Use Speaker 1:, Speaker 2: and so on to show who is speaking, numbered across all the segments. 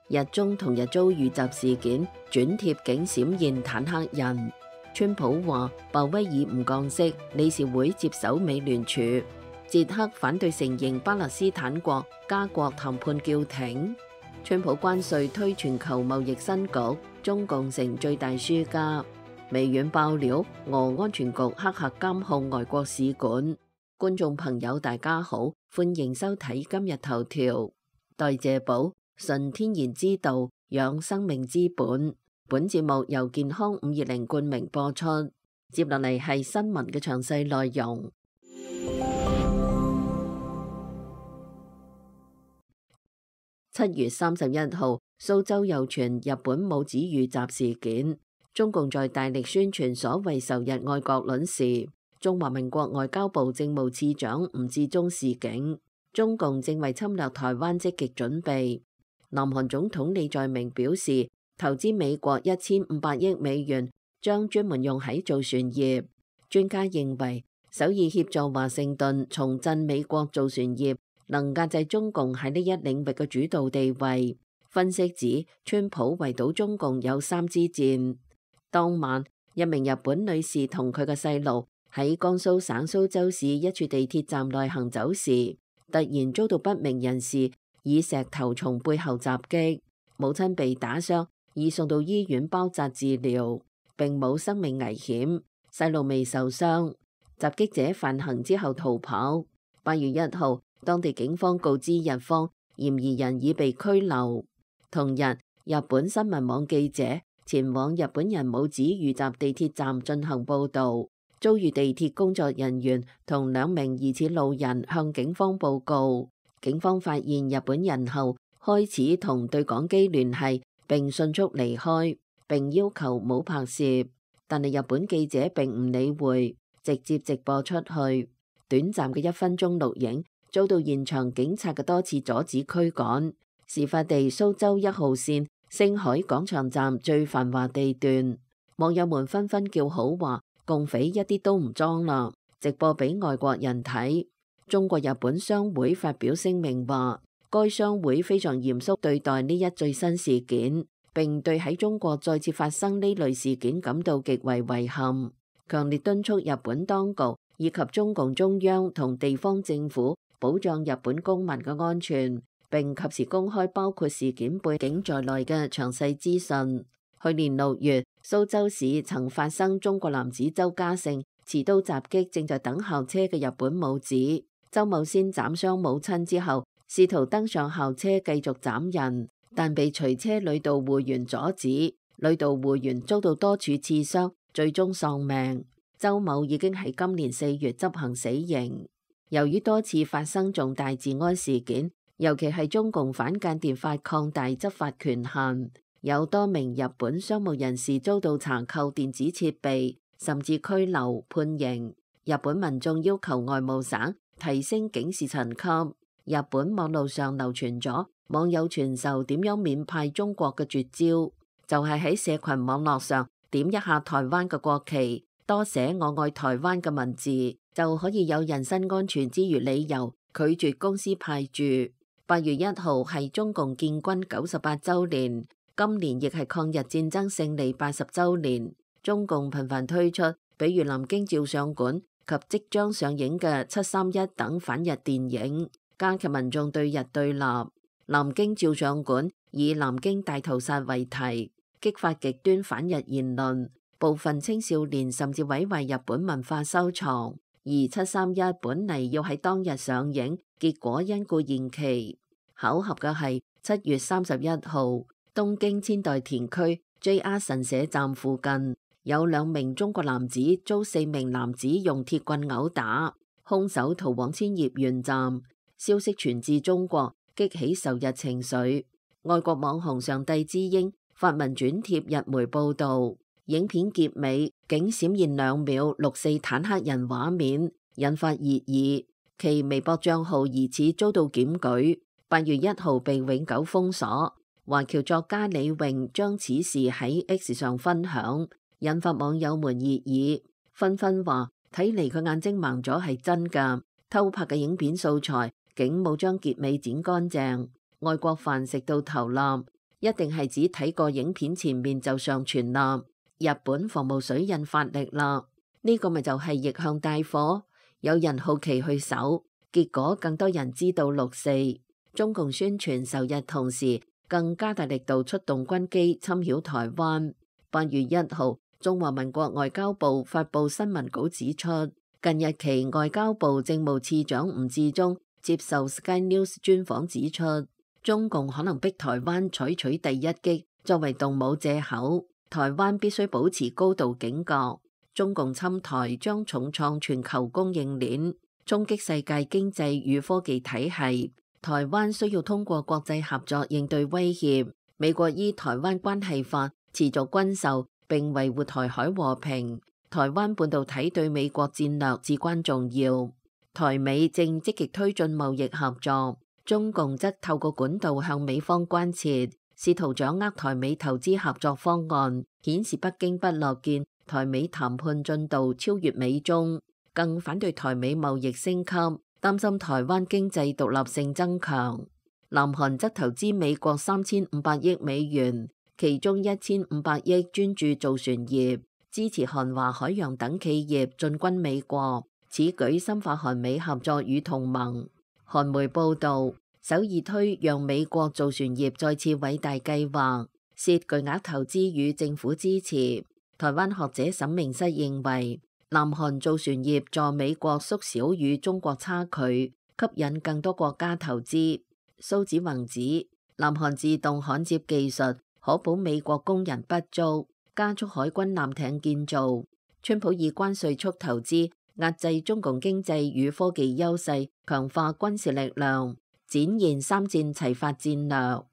Speaker 1: 日中同日遭遇襲事件，轉貼竟閃現坦克人。川普話鮑威爾唔降息，理事會接手美聯儲。捷克反對承認巴勒斯坦國，加國談判叫停。川普關稅推全球貿易新局，中共成最大輸家。微軟爆料，俄安全局黑客監控外國使館。觀眾朋友大家好，歡迎收睇今日頭條。代謝寶，純天然之道，養生命之本。本節目由健康520冠名播出。接落嚟係新聞嘅詳細內容。7月31號，蘇州又傳日本母子遇襲事件。中共在大力宣傳所謂仇日愛國論時，中華民國外交部政務次長吳志忠示警，中共正為侵略台灣積極準備。南韓總統李在明表示，投資美國1500億美元，將專門用喺造船業。專家認為，首爾協助華盛頓重振美國造船業，能壓制中共喺呢一領域嘅主導地位。分析指，川普圍堵中共有3支箭。當晚，一名日本女士同佢嘅細路喺江蘇省蘇州市一處地鐵站內行走時，突然遭到不明人士以石頭從背後襲擊，母親被打傷，已送到醫院包紮治療，並冇生命危險，細路未受傷。襲擊者犯行之後逃跑。8月1號，當地警方告知日方，嫌疑人已被拘留。同日，日本新聞網記者前往日本人母子遇襲地鐵站進行報導，遭遇地鐵工作人員同2名疑似路人向警方報告。警方發現日本人後，開始同對講機聯繫，並迅速離開，並要求冇拍攝。但係日本記者並唔理會，直接直播出去。短暫嘅1分鐘錄影遭到現場警察嘅多次阻止驅趕。事發地蘇州1號線星海廣場站最繁華地段，網友們紛紛叫好話，共匪一啲都唔裝啦，直播俾外國人睇。中國日本商會發表聲明話，該商會非常嚴肅對待呢一最新事件，並對喺中國再次發生呢類事件感到極為遺憾，強烈敦促日本當局以及中共中央同地方政府保障日本公民嘅安全，並及時公開包括事件背景在內嘅詳細資訊。去年6月，蘇州市曾發生中國男子周家勝持刀襲擊正在等校車嘅日本母子。周某先斬傷母親之後，試圖登上校車繼續斬人，但被隨車女導護員阻止，女導護員遭到多處刺傷，最終喪命。周某已經喺今年4月執行死刑。由於多次發生重大治安事件，尤其係中共反間諜法擴大執法權限，有多名日本商務人士遭到查扣電子設備，甚至拘留判刑。日本民眾要求外務省提升警示層級。日本網路上流傳咗網友傳授點樣免派中國嘅絕招，就係喺社群網絡上點一下台灣嘅國旗，多寫我愛台灣嘅文字，就可以有人身安全之餘理由拒絕公司派駐。8月1號係中共建軍98週年，今年亦係抗日戰爭勝利80週年。中共頻繁推出，比如南京照相館及即將上映嘅731等反日電影，加劇民眾對日對立。南京照相館以南京大屠殺為題，激發極端反日言論，部分青少年甚至毀壞日本文化收藏。而731本嚟要喺當日上映，結果因故延期。巧合嘅係7月31號，東京千代田區 JR 神社站附近有2名中國男子遭4名男子用鐵棍毆打，兇手逃往千葉縣站。消息傳至中國，激起仇日情緒。外國網紅上帝之鷹發文轉貼日媒報導。影片結尾竟閃現2秒64坦克人畫面，引發熱議。其微博賬號疑似遭到檢舉，8月1號被永久封鎖。華僑作家李詠將此事喺 X 上分享，引發網友們熱議，紛紛話睇嚟佢眼睛盲咗係真㗎，偷拍嘅影片素材竟冇將結尾剪乾淨，外國飯食到頭爛。一定係指睇過影片前面就上傳啦。日本防務水印發力啦，呢個咪就係逆向帶火。有人好奇去搜，結果更多人知道6.4。中共宣傳仇日同時，更加大力度出動軍機侵擾台灣。8月1號，中華民國外交部發布新聞稿指出，近日期外交部政務次長吳志忠接受 Sky News 專訪指出，中共可能逼台灣採取第一擊作為動武藉口，台灣必須保持高度警覺。中共侵台將重創全球供應鏈，衝擊世界經濟與科技體系。台灣需要通過國際合作應對威脅。美國依台灣關係法持續軍售並維護台海和平。台灣半導體對美國戰略至關重要。台美正積極推進貿易合作，中共則透過管道向美方關切，試圖掌握台美投資合作方案，顯示北京不樂見台美談判進度超越美中，更反對台美貿易升級，擔心台灣經濟獨立性增強。南韓則投資美國3500億美元，其中1500億專注造船業，支持韓華海洋等企業進軍美國，此舉深化韓美合作與同盟。韓媒報導，首爾推讓美國造船業再次偉大計劃，涉巨額投資與政府支持。台灣學者沈明室認為，南韓造船業助美國縮小與中國差距，吸引更多國家投資。蘇子宏指，南韓自動焊接技術可保美國工人不足，加速海軍艦艇建造。川普以關稅促投資，壓制中共經濟與科技優勢，強化軍事力量，展現三戰齊發戰略。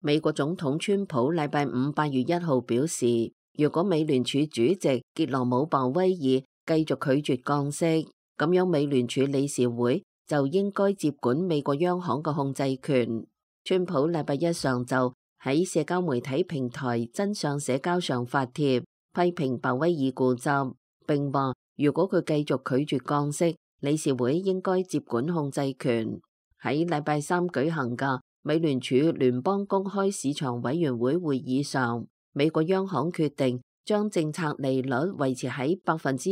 Speaker 1: 美國總統川普禮拜五8月1號表示，如果美聯儲主席傑羅姆鮑威爾繼續拒絕降息，咁樣美聯儲理事會就應該接管美國央行嘅控制權。川普禮拜一上晝喺社交媒體平台真相社交上發帖，批評鮑威爾固執，並話如果佢繼續拒絕降息，理事會應該接管控制權。喺禮拜三舉行嘅美聯儲聯邦公開市場委員會會議上，美國央行決定將政策利率維持喺4.25%至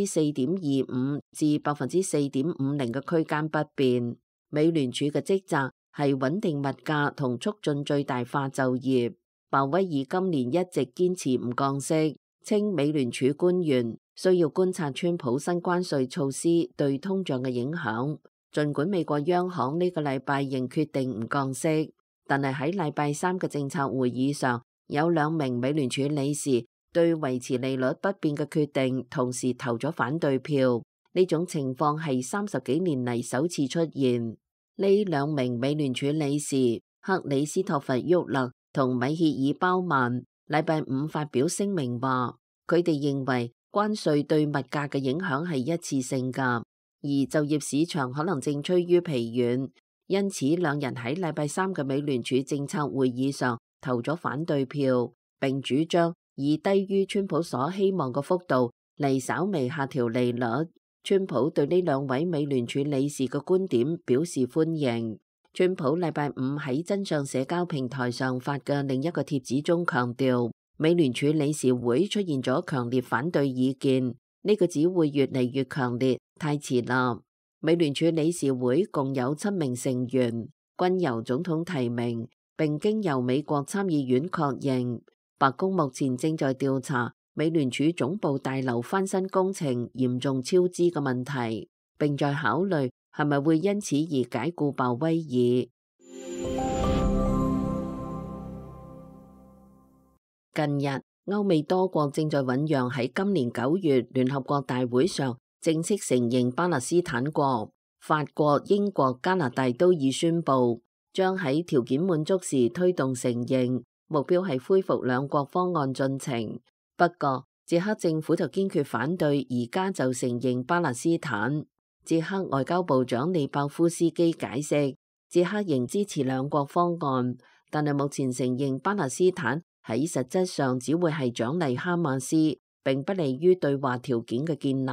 Speaker 1: 4.50%嘅區間不變。美聯儲嘅職責係穩定物價同促進最大化就業。鮑威爾今年一直堅持唔降息，稱美聯儲官員需要觀察川普新關稅措施對通脹嘅影響。儘管美國央行呢個禮拜仍決定唔降息，但係喺禮拜三嘅政策會議上，有2名美聯儲理事對維持利率不變嘅決定同時投咗反對票。呢種情況係30幾年嚟首次出現。呢2名美聯儲理事克里斯托弗沃勒同米歇爾鮑曼禮拜五發表聲明話，佢哋認為關稅對物價嘅影響係一次性㗎，而就業市場可能正趨於疲軟，因此2人喺禮拜三嘅美聯儲政策會議上投咗反對票，並主張以低於川普所希望嘅幅度嚟稍微下調利率。川普對呢2位美聯儲理事嘅觀點表示歡迎。川普禮拜五喺真相社交平台上發嘅另一個帖子中強調，美聯儲理事會出現咗強烈反對意見，呢個只會越嚟越強烈，太遲啦。美聯儲理事會共有7名成員，均由總統提名，並經由美國參議院確認。白宮目前正在調查美聯儲總部大樓翻新工程嚴重超支嘅問題，並在考慮係咪會因此而解僱鮑威爾。近日，歐美多國正在醞釀喺今年9月聯合國大會上正式承認巴勒斯坦國。法國、英國、加拿大都已宣布將喺條件滿足時推動承認，目標係恢復2國方案進程。不過，捷克政府就堅決反對而家就承認巴勒斯坦。捷克外交部長利鮑夫斯基解釋，捷克仍支持2國方案，但係目前承認巴勒斯坦喺實質上只會係獎勵哈馬斯，並不利於對話條件嘅建立。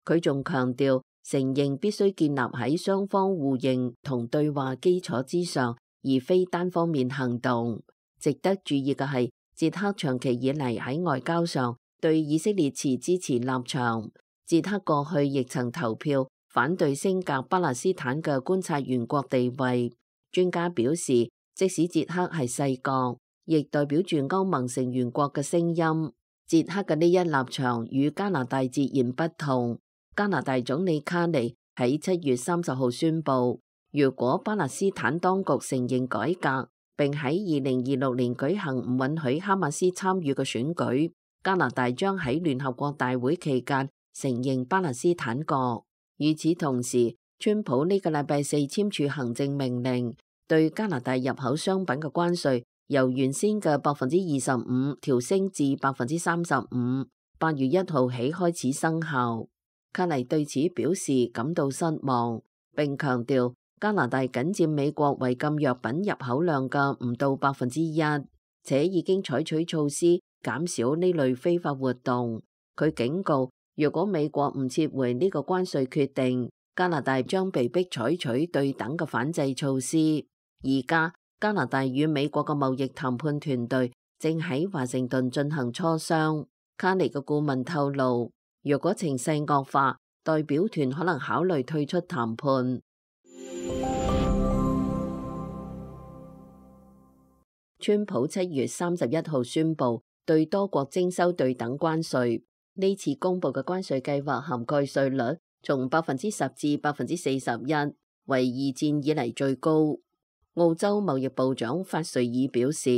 Speaker 1: 佢仲強調，承認必須建立喺雙方互認同對話基礎之上，而非單方面行動。值得注意嘅係，捷克長期以嚟喺外交上對以色列持支持立場。捷克過去亦曾投票反對升格巴勒斯坦嘅觀察員國地位。專家表示，即使捷克係細國，亦代表住歐盟成員國嘅聲音。捷克嘅呢一立場與加拿大截然不同。加拿大總理卡尼喺7月30號宣布，如果巴勒斯坦當局承認改革，並喺2026年舉行唔允許哈馬斯參與嘅選舉，加拿大將喺聯合國大會期間承認巴勒斯坦國。與此同時，川普呢個禮拜四簽署行政命令，對加拿大入口商品嘅關稅由原先嘅25%調升至35%，8月1號起開始生效。卡尼對此表示感到失望，並強調加拿大僅佔美國違禁藥品入口量嘅唔到1%，且已經採取措施減少呢類非法活動。佢警告，如果美國唔撤回呢個關稅決定，加拿大將被迫採取對等嘅反制措施。而家加拿大與美國嘅貿易談判團隊正喺華盛頓進行磋商。卡尼嘅顧問透露，若果情勢惡化，代表團可能考慮退出談判。川普7月31號宣布對多國徵收對等關稅，呢次公布嘅關稅計劃涵蓋稅率從10%至41%，為二戰以嚟最高。澳洲貿易部長法瑞爾表示，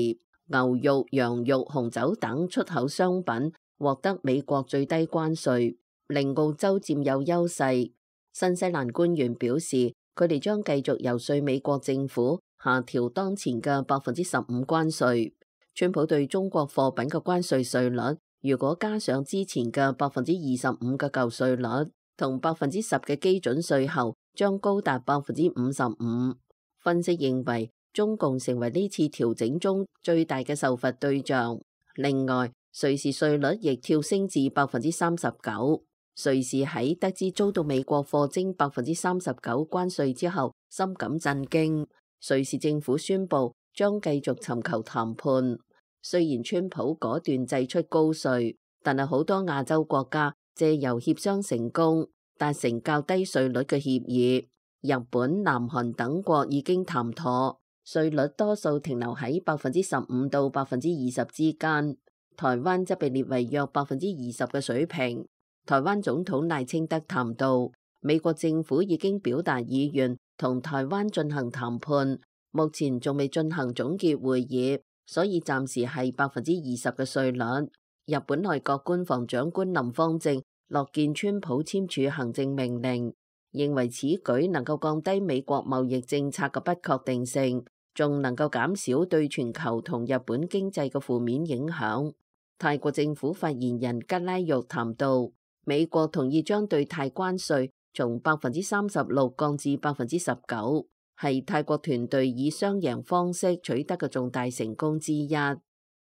Speaker 1: 牛肉、羊肉、紅酒等出口商品獲得美國最低關稅，令澳洲佔有優勢。新西蘭官員表示，佢哋將繼續遊說美國政府下調當前嘅15%關稅。川普對中國貨品嘅關稅稅率，如果加上之前嘅25%嘅舊稅率同10%嘅基準稅後，將高達55%。分析認為，中共成為呢次調整中最大嘅受罰對象。另外，瑞士稅率亦跳升至39%。瑞士喺得知遭到美國課徵39%關稅之後，深感震驚。瑞士政府宣布將繼續尋求談判。雖然川普果斷祭出高稅，但係好多亞洲國家借由協商成功達成較低稅率嘅協議。日本、南韓等國已經談妥，稅率多數停留喺15%到20%之間。台灣則被列為約20%嘅水平。台灣總統賴清德談到，美國政府已經表達意願同台灣進行談判，目前仲未進行總結會議，所以暫時係20%嘅稅率。日本內閣官房長官林芳正樂見川普簽署行政命令，認為此舉能夠降低美國貿易政策嘅不確定性，仲能夠減少對全球同日本經濟嘅負面影響。泰國政府發言人吉拉玉談到，美國同意將對泰關稅從36%降至19%，係泰國團隊以雙贏方式取得嘅重大成功之一。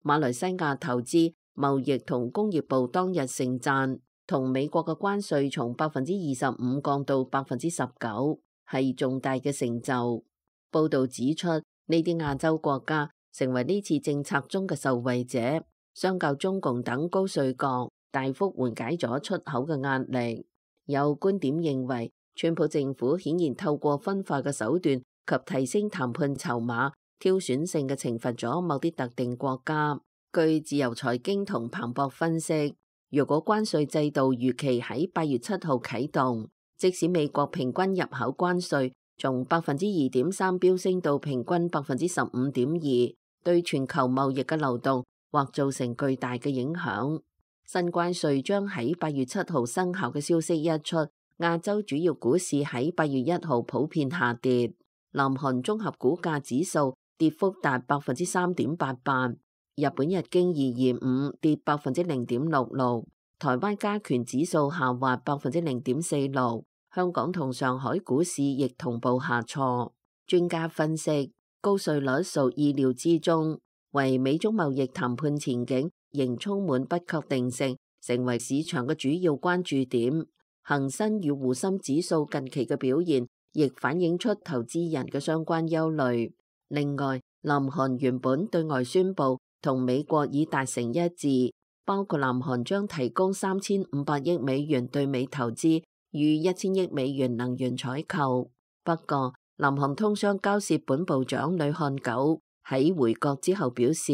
Speaker 1: 馬來西亞投資、貿易同工業部當日盛讚，同美國嘅關稅從25%降到19%，係重大嘅成就。報道指出，呢啲亞洲國家成為呢次政策中嘅受惠者。相較中共等高稅國，大幅緩解咗出口嘅壓力。有觀點認為，川普政府顯然透過分化嘅手段及提升談判籌碼，挑選性嘅懲罰咗某啲特定國家。據自由財經同彭博分析，如果關稅制度如期喺8月7號啟動，即使美國平均入口關稅從2.3%飆升到平均15.2%，對全球貿易嘅流動或造成巨大嘅影響。新關稅將喺8月7號生效嘅消息一出，亞洲主要股市喺8月1號普遍下跌。南韓綜合股價指數跌幅達3.88%，日本日經225跌0.66%，台灣加權指數下滑0.46%，香港同上海股市亦同步下挫。專家分析，高稅率屬意料之中，為美中貿易談判前景仍充滿不確定性，成為市場嘅主要關注點。恒生與滬深指數近期嘅表現，亦反映出投資人嘅相關憂慮。另外，南韓原本對外宣布同美國已達成一致，包括南韓將提供3500億美元對美投資與1000億美元能源採購。不過，南韓通商交涉本部長呂漢九喺回國之後表示，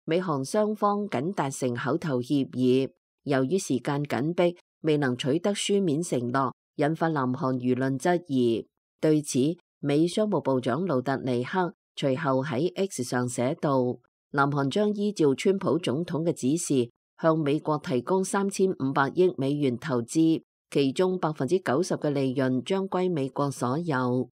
Speaker 1: 美韓雙方僅達成口頭協議，由於時間緊迫，未能取得書面承諾，引發南韓輿論質疑。對此，美商務部長盧特尼克隨後喺 X 上寫道，南韓將依照川普總統嘅指示，向美國提供3500億美元投資，其中90%嘅利潤將歸美國所有。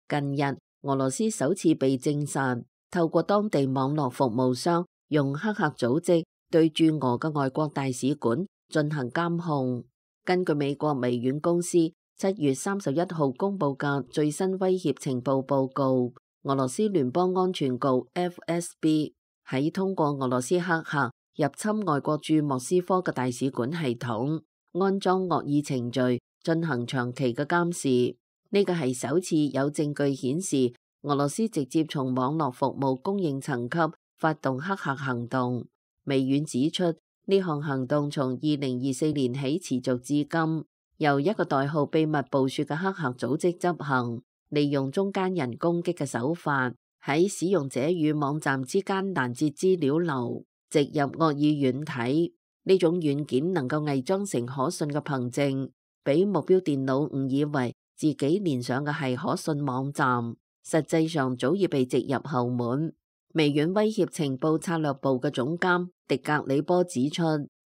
Speaker 1: 近日，俄羅斯首次被證實透過當地網絡服務商用黑客組織對駐俄嘅外國大使館進行監控。根據美國微軟公司7月31號公佈嘅最新威脅情報報告，俄羅斯聯邦安全局 FSB 喺通過俄羅斯黑客入侵外國駐莫斯科嘅大使館系統，安裝惡意程序，進行長期嘅監視。呢個係首次有證據顯示俄羅斯直接從網絡服務供應層級發動黑客行動。微軟指出，呢項行動從2024年起持續至今，由一個代號秘密暴雪嘅黑客組織執行，利用中間人攻擊嘅手法，喺使用者與網站之間攔截資料流，植入惡意軟體。呢種軟件能夠偽裝成可信嘅憑證，俾目標電腦誤以為自己連上嘅係可信網站，實際上早已被植入後門。微軟威脅情報策略部嘅總監迪格里波指出，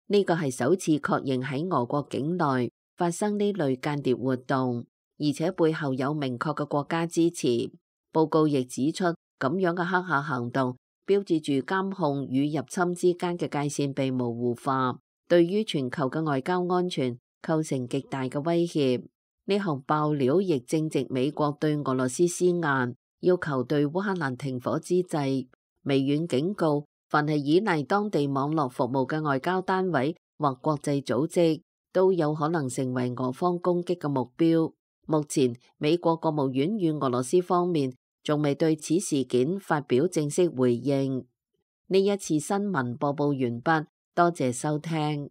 Speaker 1: 呢個係首次確認喺俄國境內發生呢類間諜活動，而且背後有明確嘅國家支持。報告亦指出，咁樣嘅黑客行動標誌住監控與入侵之間嘅界線被模糊化，對於全球嘅外交安全構成極大嘅威脅。呢項爆料亦正值美國對俄羅斯施壓，要求對烏克蘭停火之際，微軟警告，凡係依賴當地網絡服務嘅外交單位或國際組織，都有可能成為俄方攻擊嘅目標。目前，美國國務院與俄羅斯方面仲未對此事件發表正式回應。呢一次新聞播報完畢，多謝收聽。